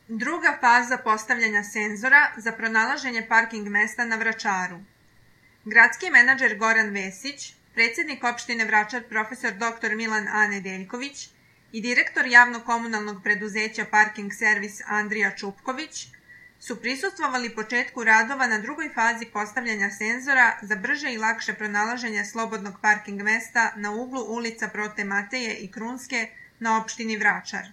Druga faza postavljanja senzora za pronalaženje parking mesta na Vračaru. Gradski menadžer Goran Vesić, predsjednik opštine Vračar profesor dr. Milan A. Nedeljković i direktor javno-komunalnog preduzeća Parking servis Andrija Čupković su prisustvovali početku radova na drugoj fazi postavljanja senzora za brže i lakše pronalaženje slobodnog parking mesta na uglu ulica Prote Mateje i Krunske na opštini Vračar.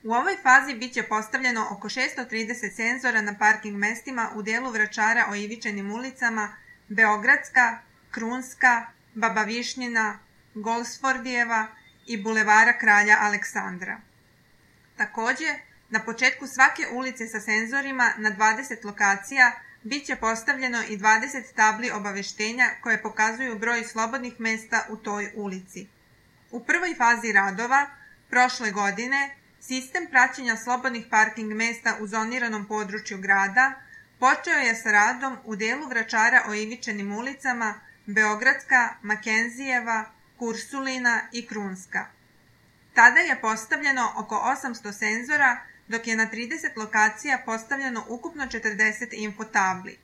U ovoj fazi biće postavljeno oko 630 senzora na parking mestima u delu Vračara o Ivičenim ulicama Beogradska, Krunska, Baba Višnjina, Golsfordijeva i Bulevara Kralja Aleksandra. Takođe, na početku svake ulice sa senzorima na 20 lokacija biće postavljeno i 20 tabli obaveštenja koje pokazuju broj slobodnih mesta u toj ulici. U prvoj fazi radova, prošle godine, sistem praćenja slobodnih parking mesta u zoniranom području grada počeo je sa radom u delu Vračara o Ivičenim ulicama Beogradska, Makenzijeva, Kursulina i Krunska. Tada je postavljeno oko 800 senzora, dok je na 30 lokacija postavljeno ukupno 40 infotabli.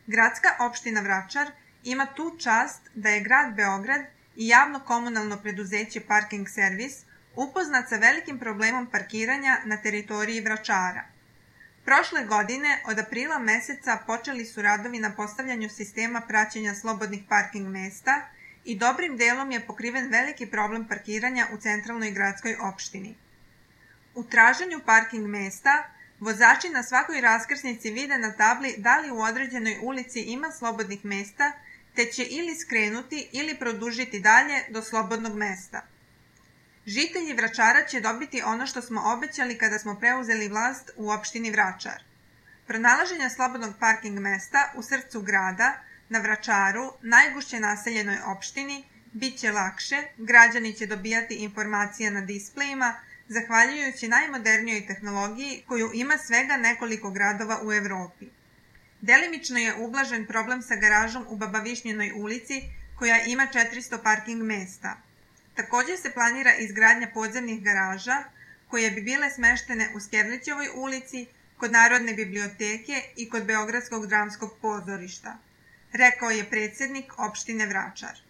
Gradska opština Vračar ima tu čast da je grad Beograd i javno-komunalno preduzeće Parking servis upoznat sa velikim problemom parkiranja na teritoriji Vračara. Prošle godine, od aprila meseca, počeli su radovi na postavljanju sistema praćenja slobodnih parking mesta i dobrim delom je pokriven veliki problem parkiranja u centralnoj gradskoj opštini. U traženju parking mesta, vozači na svakoj raskrsnici vide na tabli da li u određenoj ulici ima slobodnih mesta, te će ili skrenuti ili produžiti dalje do slobodnog mesta. Žitelji Vračara će dobiti ono što smo obećali kada smo preuzeli vlast u opštini Vračar. Pronalaženje slobodnog parking mesta u srcu grada, na Vračaru, najgušće naseljenoj opštini, bit će lakše, građani će dobijati informacije na displejima, zahvaljujući najmodernijoj tehnologiji koju ima svega nekoliko gradova u Evropi. Delimično je ublažen problem sa garažom u Baba Višnjinoj ulici, koja ima 400 parking mesta. Takođe se planira izgradnja podzemnih garaža, koje bi bile smeštene u Skerlićevoj ulici, kod Narodne biblioteke i kod Beogradskog dramskog pozorišta, rekao je predsjednik opštine Vračar.